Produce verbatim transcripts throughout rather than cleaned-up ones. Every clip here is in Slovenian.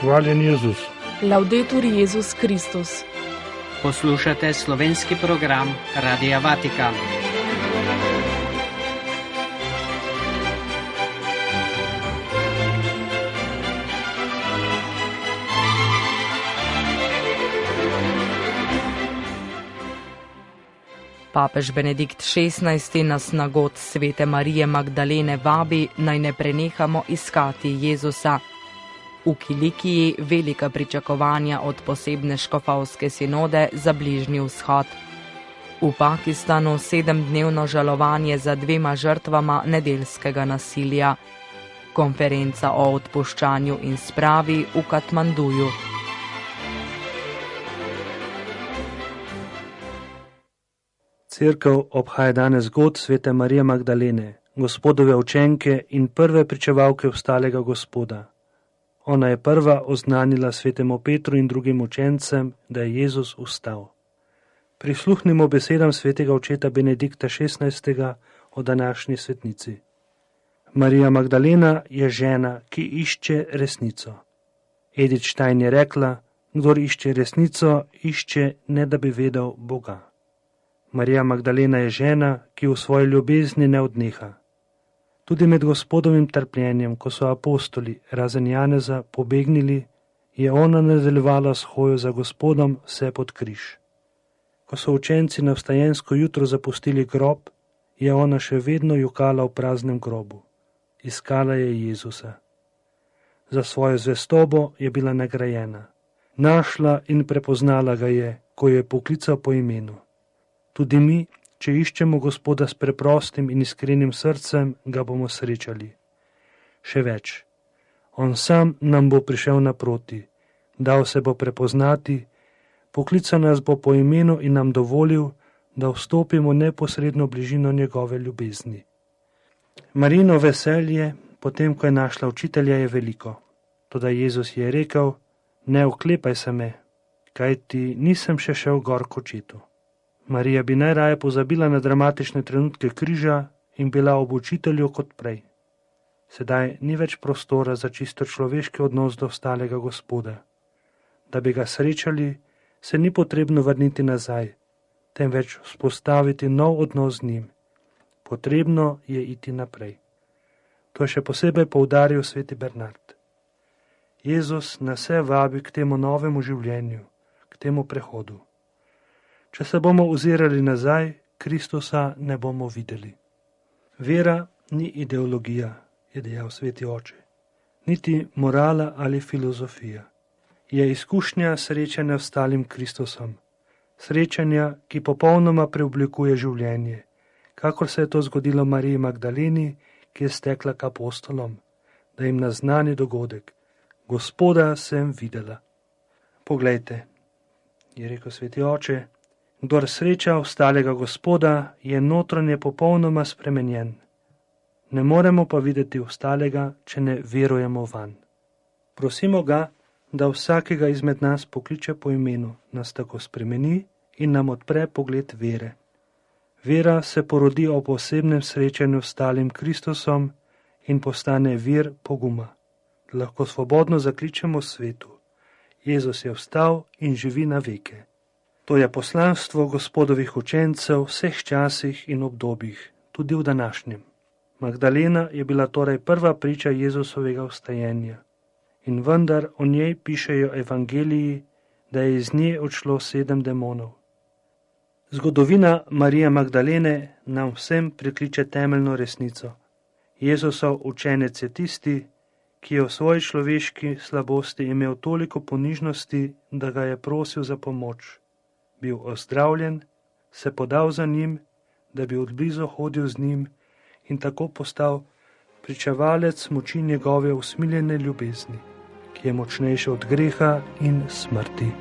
Hvaljen Jezus. Laudetur Jezus Kristus. Poslušate slovenski program Radia Vatikan. Papež Benedikt šestnajsti nas na god svete Marije Magdalene vabi, naj ne prenehamo iskati Jezusa. V Kilikiji velika pričakovanja od posebne škofovske sinode za Bližnji vzhod. V Pakistanu sedemdnevno žalovanje za dvema žrtvama nedeljskega nasilja. Konferenca o odpuščanju in spravi v Katmanduju. Cerkev obhaja danes god svete Marije Magdalene, Gospodove učenke in prve pričevalke vstalega Gospoda. Ona je prva oznanila svetemu Petru in drugim učencem, da je Jezus vstal. Prisluhnimo besedam svetega očeta Benedikta šestnajstega o današnji svetnici. Marija Magdalena je žena, ki išče resnico. Edith Stein je rekla, kdor išče resnico, išče ne da bi vedel Boga. Marija Magdalena je žena, ki v svoji ljubezni ne odneha. Tudi med Gospodovim trpljenjem, ko so apostoli, razen Janeza, pobegnili, je ona nadaljevala s hojo za Gospodom vse pod križ. Ko so učenci na vstajensko jutro zapustili grob, je ona še vedno jokala v praznem grobu. Iskala je Jezusa. Za svojo zvestobo je bila nagrajena. Našla in prepoznala ga je, ko je poklical po imenu. Tudi mi, če iščemo Gospoda s preprostim in iskrenim srcem, ga bomo srečali. Še več, on sam nam bo prišel naproti, dal se bo prepoznati, poklical nas bo po imenu in nam dovolil, da vstopimo neposredno bližino njegove ljubezni. Marino veselje, potem ko je našla učitelja, je veliko. Toda Jezus je rekel, ne oklepaj se me, kajti nisem še šel gor k očetu. Marija bi najraje pozabila na dramatične trenutke križa in bila ob učitelju kot prej. Sedaj ni več prostora za čisto človeški odnos do vstalega Gospoda. Da bi ga srečali, se ni potrebno vrniti nazaj, temveč vzpostaviti nov odnos z njim. Potrebno je iti naprej. To je še posebej poudaril sveti Bernard. Jezus nas vse vabi k temu novemu življenju, k temu prehodu. Če se bomo ozirali nazaj, Kristusa ne bomo videli. Vera ni ideologija, je dejal sveti oče, niti morala ali filozofija. Je izkušnja srečanja s stalim Kristusom, srečanja, ki popolnoma preoblikuje življenje, kakor se je to zgodilo Mariji Magdaleni, ki je stekla k apostolom, da jim naznani dogodek. Gospoda sem videla. Poglejte, je rekel sveti oče, kdor sreča vstalega Gospoda, je notranje popolnoma spremenjen. Ne moremo pa videti vstalega, če ne verujemo vanj. Prosimo ga, da vsakega izmed nas pokliče po imenu, nas tako spremeni in nam odpre pogled vere. Vera se porodi ob osebnem srečanju s stalim Kristusom in postane vir poguma. Lahko svobodno zakličemo svetu. Jezus je vstal in živi na veke. To je poslanstvo Gospodovih učencev v vseh časih in obdobjih, tudi v današnjem. Magdalena je bila torej prva priča Jezusovega vstajenja. In vendar o njej pišejo evangeliji, da je iz nje odšlo sedem demonov. Zgodovina Marije Magdalene nam vsem prikliče temeljno resnico. Jezusov učenec je tisti, ki je v svoji človeški slabosti imel toliko ponižnosti, da ga je prosil za pomoč. Bil ozdravljen, se podal za njim, da bi odblizu hodil z njim in tako postal pričevalec moči njegove usmiljene ljubezni, ki je močnejša od greha in smrti.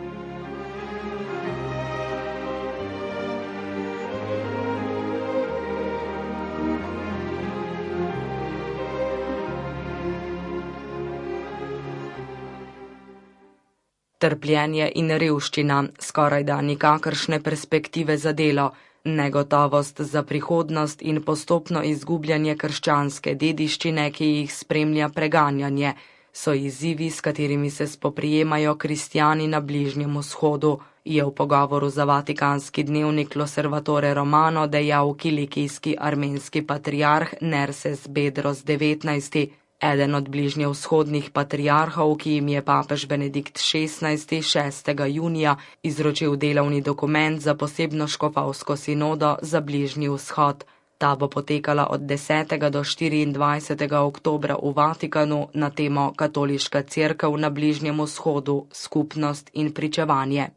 Trpljenje in revščina, skorajda nikakršne perspektive za delo, negotovost za prihodnost in postopno izgubljanje krščanske dediščine, ki jih spremlja preganjanje, so izzivi, s katerimi se spoprijemajo kristjani na Bližnjem vzhodu, je v pogovoru za vatikanski dnevnik L'Osservatore Romano dejal kilikijski armenski patriarh Nerses Bedros devetnajsti, eden od bližnjevzhodnih patriarhov, ki jim je papež Benedikt šestnajsti šestega junija izročil delovni dokument za posebno škofovsko sinodo za Bližnji vzhod. Ta bo potekala od desetega do štiriindvajsetega oktobra v Vatikanu na temo Katoliška cerkev na Bližnjem vzhodu, skupnost in pričevanje.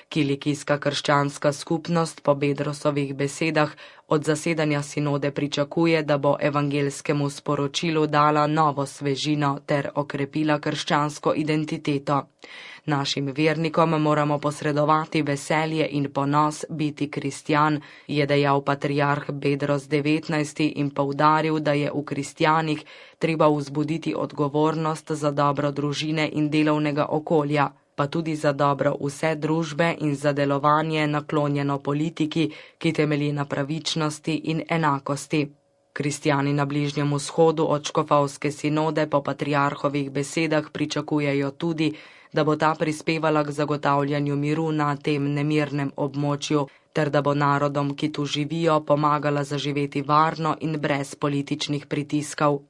Kilikijska krščanska skupnost po Bedrosovih besedah od zasedanja sinode pričakuje, da bo evangelskemu sporočilu dala novo svežino ter okrepila krščansko identiteto. Našim vernikom moramo posredovati veselje in ponos biti kristjan, je dejal patriarh Bedros devetnajsti in poudaril, da je v kristjanih treba vzbuditi odgovornost za dobro družine in delovnega okolja, pa tudi za dobro vse družbe in za delovanje naklonjeno politiki, ki temelji na pravičnosti in enakosti. Kristjani na Bližnjem vzhodu od škofovske sinode po patriarhovih besedah pričakujejo tudi, da bo ta prispevala k zagotavljanju miru na tem nemirnem območju, ter da bo narodom, ki tu živijo, pomagala zaživeti varno in brez političnih pritiskov.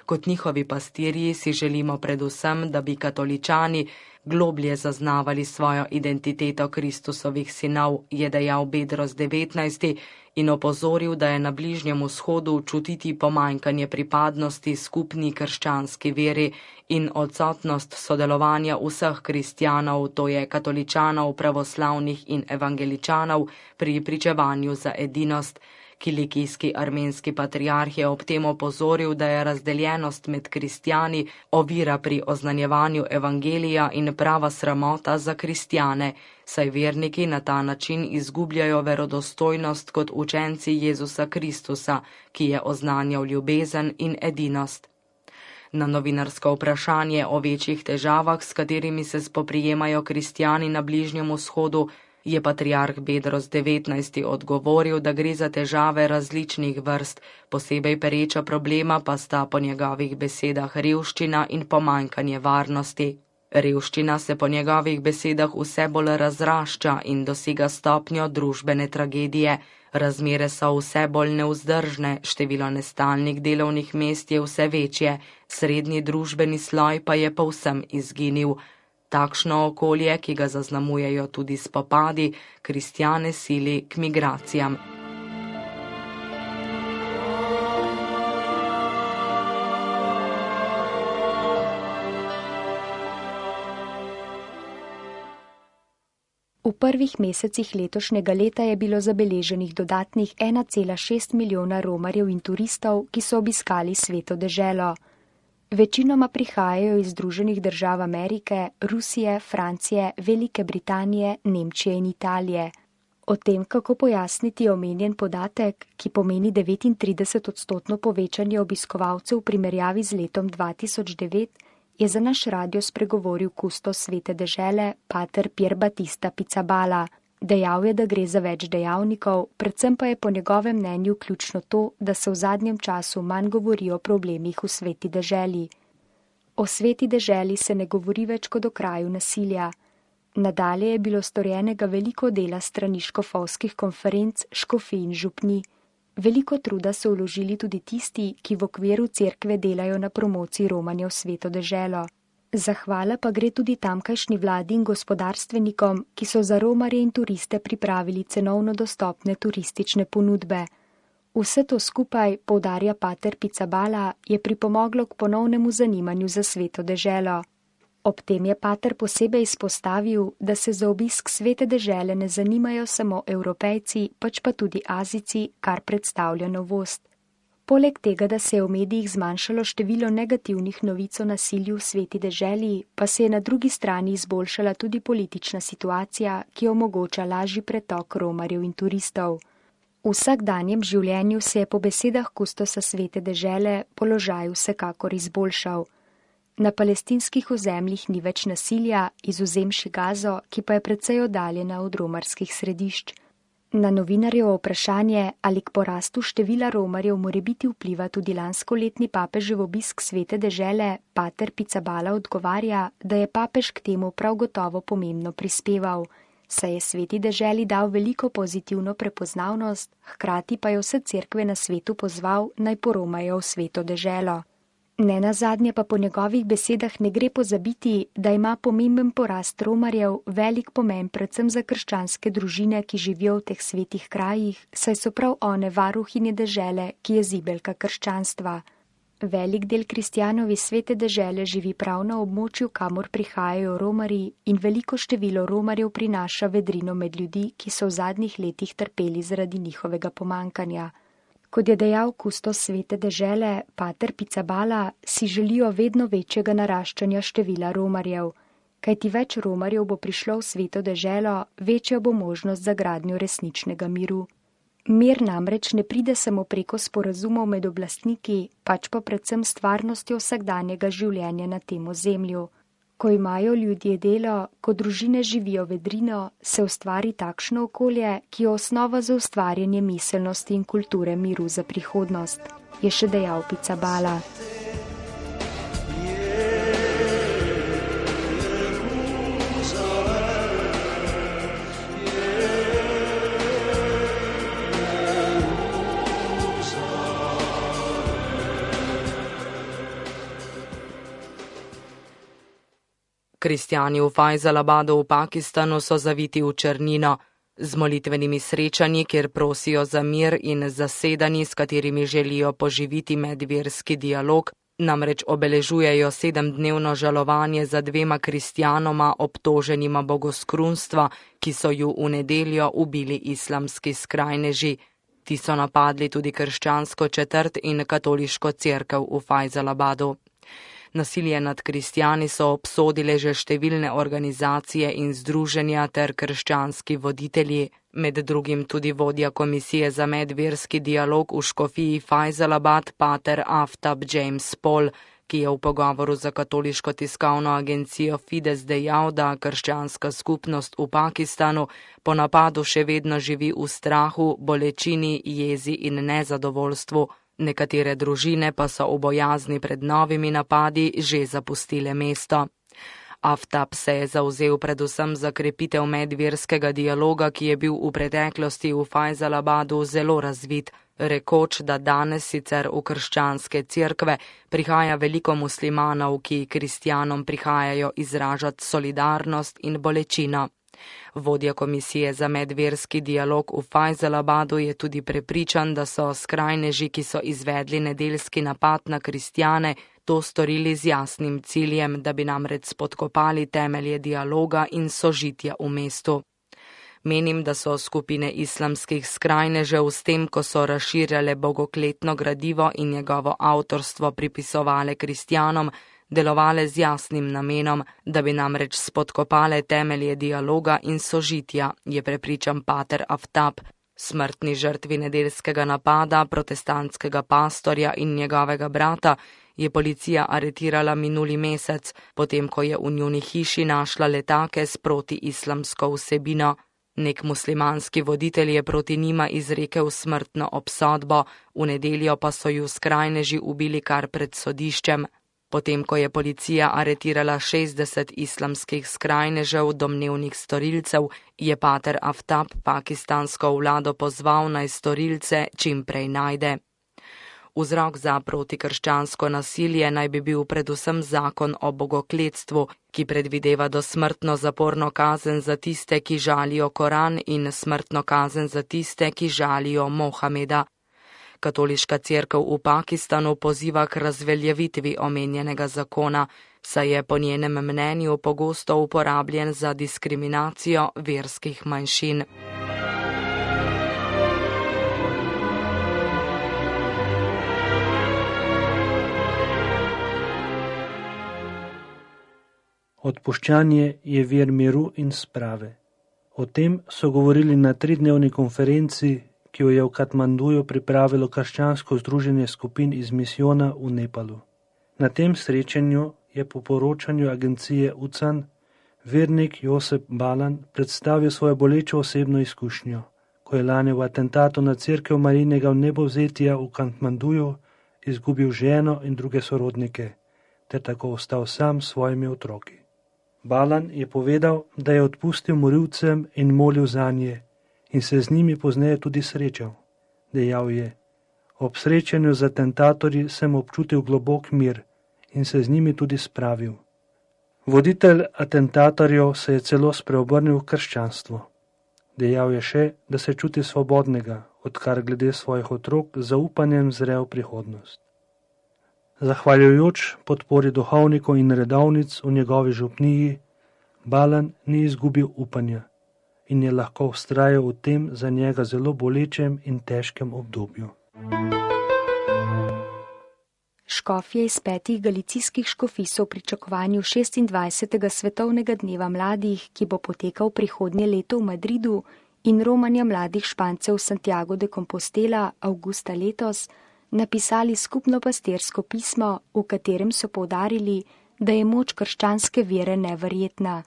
Kot njihovi pastirji si želimo predvsem, da bi katoličani globlje zaznavali svojo identiteto Kristusovih sinov, je dejal Bedros devetnajsti in opozoril, da je na Bližnjem vzhodu čutiti pomanjkanje pripadnosti skupni krščanski veri in odsotnost sodelovanja vseh kristjanov, to je katoličanov, pravoslavnih in evangeličanov, pri pričevanju za edinost. Kilikijski armenski patriarh je ob tem opozoril, da je razdeljenost med kristjani ovira pri oznanjevanju evangelija in prava sramota za kristjane, saj verniki na ta način izgubljajo verodostojnost kot učenci Jezusa Kristusa, ki je oznanjal ljubezen in edinost. Na novinarsko vprašanje o večjih težavah, s katerimi se spoprijemajo kristjani na Bližnjem vzhodu, je patriarh Bedros devetnajsti odgovoril, da gre za težave različnih vrst, posebej pereča problema pa sta po njegovih besedah revščina in pomanjkanje varnosti. Revščina se po njegovih besedah vse bolj razrašča in dosega stopnjo družbene tragedije. Razmere so vse bolj nevzdržne, število nestalnih delovnih mest je vse večje, srednji družbeni sloj pa je povsem izginil. Takšno okolje, ki ga zaznamujejo tudi spopadi, kristjane sili k migracijam. V prvih mesecih letošnjega leta je bilo zabeleženih dodatnih ena cela šest milijona romarjev in turistov, ki so obiskali Sveto deželo. Večinoma prihajajo iz Združenih držav Amerike, Rusije, Francije, Velike Britanije, Nemčije in Italije. O tem, kako pojasniti omenjen podatek, ki pomeni devetintrideset odstotno povečanje obiskovalcev v primerjavi z letom dva tisoč devet, je za naš radio spregovoril kustos Svete dežele, pater Pier Battista Pizzaballa. Dejal je, da gre za več dejavnikov, predvsem pa je po njegovem mnenju ključno to, da se v zadnjem času manj govori o problemih v Sveti deželi. O Sveti deželi se ne govori več kot o kraju nasilja. Nadalje je bilo storjenega veliko dela strani škofovskih konferenc, škofij in župni. Veliko truda so vložili tudi tisti, ki v okviru cerkve delajo na promociji romanja v Sveto deželo. Zahvala pa gre tudi tamkajšnji vladi in gospodarstvenikom, ki so za romarje in turiste pripravili cenovno dostopne turistične ponudbe. Vse to skupaj, poudarja pater Pizzaballa, je pripomoglo k ponovnemu zanimanju za Sveto deželo. Ob tem je pater posebej izpostavil, da se za obisk Svete dežele ne zanimajo samo Evropejci, pač pa tudi Azijci, kar predstavlja novost. Poleg tega, da se je v medijih zmanjšalo število negativnih novic o nasilju v Sveti deželi, pa se je na drugi strani izboljšala tudi politična situacija, ki omogoča lažji pretok romarjev in turistov. V vsakdanjem življenju se je po besedah kustosa Svete dežele položaj vsekakor izboljšal. Na palestinskih ozemljih ni več nasilja, izvzemši Gazo, ki pa je precej oddaljena od romarskih središč. Na novinarjevo vprašanje, ali k porastu števila romarjev morebiti vpliva tudi lanskoletni papežev obisk svete dežele, pater Pizzaballa odgovarja, da je papež k temu prav gotovo pomembno prispeval, saj je sveti deželi dal veliko pozitivno prepoznavnost, hkrati pa je vse cerkve na svetu pozval, naj poromajo v sveto deželo. Nenazadnje pa po njegovih besedah ne gre pozabiti, da ima pomemben porast romarjev velik pomen predvsem za krščanske družine, ki živijo v teh svetih krajih, saj so prav one varuhinje dežele, ki je zibelka krščanstva. Velik del kristjanov iz svete dežele živi prav na območju, kamor prihajajo romarji, in veliko število romarjev prinaša vedrino med ljudi, ki so v zadnjih letih trpeli zaradi njihovega pomankanja. Kot je dejal kustos svete dežele, pater Pizzaballa, si želijo vedno večjega naraščanja števila romarjev. Kajti več romarjev bo prišlo v sveto deželo, večja bo možnost za gradnjo resničnega miru. Mir namreč ne pride samo preko sporazumov med oblastniki, pač pa predvsem stvarnostjo vsakdanjega življenja na tem ozemlju. Ko imajo ljudje delo, ko družine živijo vedrino, se ustvari takšno okolje, ki je osnova za ustvarjanje miselnosti in kulture miru za prihodnost, je še dejal Pizzaballa. Kristjani v Fajzalabadu v Pakistanu so zaviti v črnino, z molitvenimi srečanji, kjer prosijo za mir in zasedanji, s katerimi želijo poživiti medverski dialog, namreč obeležujejo sedemdnevno žalovanje za dvema kristjanoma obtoženima bogoskrunstva, ki so ju v nedeljo ubili islamski skrajneži. Ti so napadli tudi krščansko četrt in katoliško cerkev v Fajzalabadu. Nasilje nad kristjani so obsodile že številne organizacije in združenja ter krščanski voditelji, med drugim tudi vodja komisije za medverski dialog v škofiji Fajzalabad, pater Aftab James Paul, ki je v pogovoru za katoliško tiskovno agencijo Fides dejal, da krščanska skupnost v Pakistanu po napadu še vedno živi v strahu, bolečini, jezi in nezadovoljstvu. Nekatere družine pa so v bojazni pred novimi napadi že zapustile mesto. Aftab se je zavzel predvsem za krepitev medverskega dialoga, ki je bil v preteklosti v Fajzalabadu zelo razvit, rekoč, da danes sicer v krščanske cerkve prihaja veliko muslimanov, ki kristjanom prihajajo izražati solidarnost in bolečino. Vodja komisije za medverski dialog v Fajzalabadu je tudi prepričan, da so skrajneži, ki so izvedli nedeljski napad na kristjane, to storili z jasnim ciljem, da bi namreč spodkopali temelje dialoga in sožitja v mestu. Menim, da so skupine islamskih skrajnežev s tem, ko so razširjale bogokletno gradivo in njegovo avtorstvo pripisovale kristjanom, delovale z jasnim namenom, da bi namreč spodkopale temelje dialoga in sožitja, je prepričan pater Aftab. Smrtni žrtvi nedeljskega napada protestantskega pastorja in njegovega brata je policija aretirala minuli mesec, potem ko je v njuni hiši našla letake s protiislamsko vsebino. Nek muslimanski voditelj je proti njima izrekel smrtno obsodbo, v nedeljo pa so ju skrajneži ubili kar pred sodiščem. Potem, ko je policija aretirala šestdeset islamskih skrajnežev, domnevnih storilcev, je pater Aftab pakistansko vlado pozval, naj storilce čim prej najde. Vzrok za protikrščansko nasilje naj bi bil predvsem zakon o bogokletstvu, ki predvideva dosmrtno zaporno kazen za tiste, ki žalijo Koran, in smrtno kazen za tiste, ki žalijo Mohameda. Katoliška cerkev v Pakistanu poziva k razveljavitvi omenjenega zakona, saj je po njenem mnenju pogosto uporabljen za diskriminacijo verskih manjšin. Odpuščanje je vir miru in sprave. O tem so govorili na tridnevni konferenci, ki jo je v Katmanduju pripravilo krščansko združenje skupin iz misijona v Nepalu. Na tem srečanju je po poročanju agencije U C A N vernik Josep Balan predstavil svojo bolečo osebno izkušnjo, ko je lani v atentatu na cerkev Marijinega vnebovzetja v Katmanduju izgubil ženo in druge sorodnike, ter tako ostal sam s svojimi otroki. Balan je povedal, da je odpustil morilcem in molil zanje in se z njimi pozneje tudi srečal. Dejal je: ob srečanju z atentatorji sem občutil globok mir in se z njimi tudi spravil. Voditelj atentatorjev se je celo spreobrnil v krščanstvo. Dejal je še, da se čuti svobodnega, odkar glede svojih otrok z zaupanjem zre v prihodnost. Zahvaljujoč podpori duhovnikov in redovnic v njegovi župniji, Balan ni izgubil upanja in je lahko vztrajal v tem za njega zelo bolečem in težkem obdobju. Škofje iz petih galicijskih škofij so v pričakovanju šestindvajsetega svetovnega dneva mladih, ki bo potekal prihodnje leto v Madridu, in romanja mladih Špancev Santiago de Compostela avgusta letos, napisali skupno pastirsko pismo, v katerem so poudarili, da je moč krščanske vere neverjetna,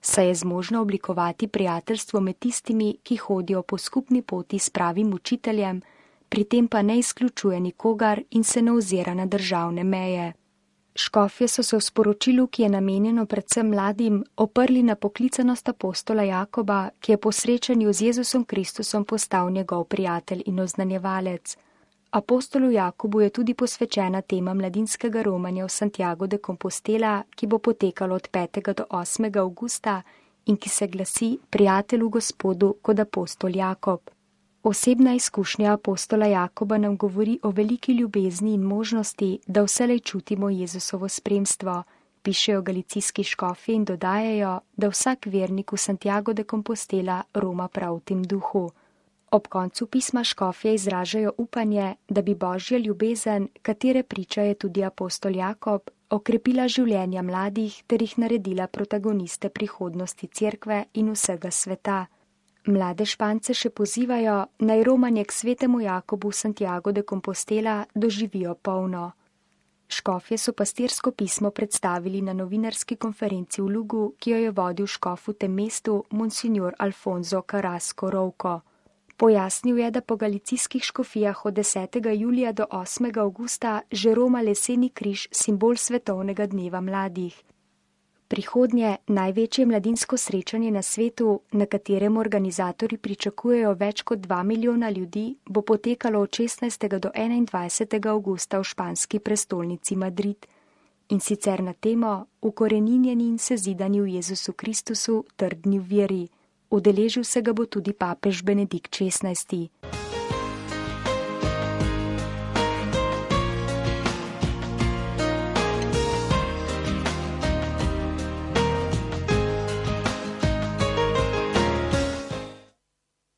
saj je zmožno oblikovati prijateljstvo med tistimi, ki hodijo po skupni poti s pravim učiteljem, pri tem pa ne izključuje nikogar in se ne ozira na državne meje. Škofje so se v sporočilu, ki je namenjeno predvsem mladim, oprli na poklicanost apostola Jakoba, ki je po srečanju z Jezusom Kristusom postal njegov prijatelj in oznanjevalec. Apostolu Jakobu je tudi posvečena tema mladinskega romanja v Santiago de Compostela, ki bo potekalo od petega do osmega avgusta in ki se glasi Prijatelj v Gospodu kot apostol Jakob. Osebna izkušnja apostola Jakoba nam govori o veliki ljubezni in možnosti, da vselej čutimo Jezusovo spremstvo, pišejo galicijski škofje in dodajajo, da vsak vernik v Santiago de Compostela roma prav v tem duhu. Ob koncu pisma škofje izražajo upanje, da bi Božja ljubezen, katere priča je tudi apostol Jakob, okrepila življenja mladih ter jih naredila protagoniste prihodnosti cerkve in vsega sveta. Mlade Špance še pozivajo, naj romanje k svetemu Jakobu Santiago de Compostela doživijo polno. Škofje so pastirsko pismo predstavili na novinarski konferenci v Lugu, ki jo je vodil škof v tem mestu monsignor Alfonso Carrasco Rouco. Pojasnil je, da po galicijskih škofijah od desetega julija do osmega avgusta že roma leseni križ, simbol svetovnega dneva mladih. Prihodnje največje mladinsko srečanje na svetu, na katerem organizatorji pričakujejo več kot dva milijona ljudi, bo potekalo od šestnajstega do enaindvajsetega avgusta v španski prestolnici Madrid. In sicer na temo Ukoreninjeni in sezidani v Jezusu Kristusu, trdni v veri. Udeležil se ga bo tudi papež Benedikt šestnajsti.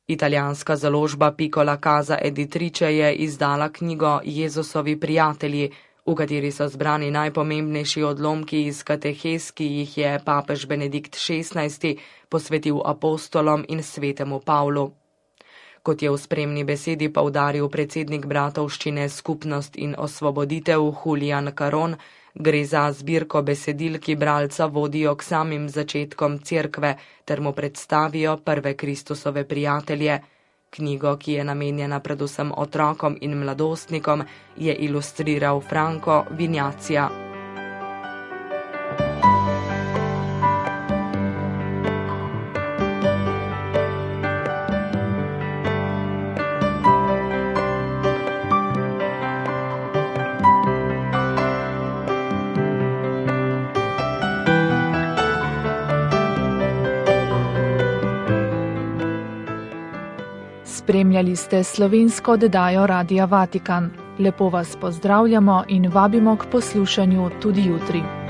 Italijanska založba Piccola Casa Editrice je izdala knjigo Jezusovi prijatelji, v kateri so zbrani najpomembnejši odlomki iz katehes, ki jih je papež Benedikt šestnajsti posvetil apostolom in svetemu Pavlu. Kot je v spremni besedi poudaril predsednik bratovščine Skupnost in osvoboditev Julian Caron, gre za zbirko besedil, ki bralca vodijo k samim začetkom cerkve ter mu predstavijo prve Kristusove prijatelje. Knjigo, ki je namenjena predvsem otrokom in mladostnikom, je ilustriral Franco Vignacia. Spremljali ste slovensko oddajo Radia Vatikan. Lepo vas pozdravljamo in vabimo k poslušanju tudi jutri.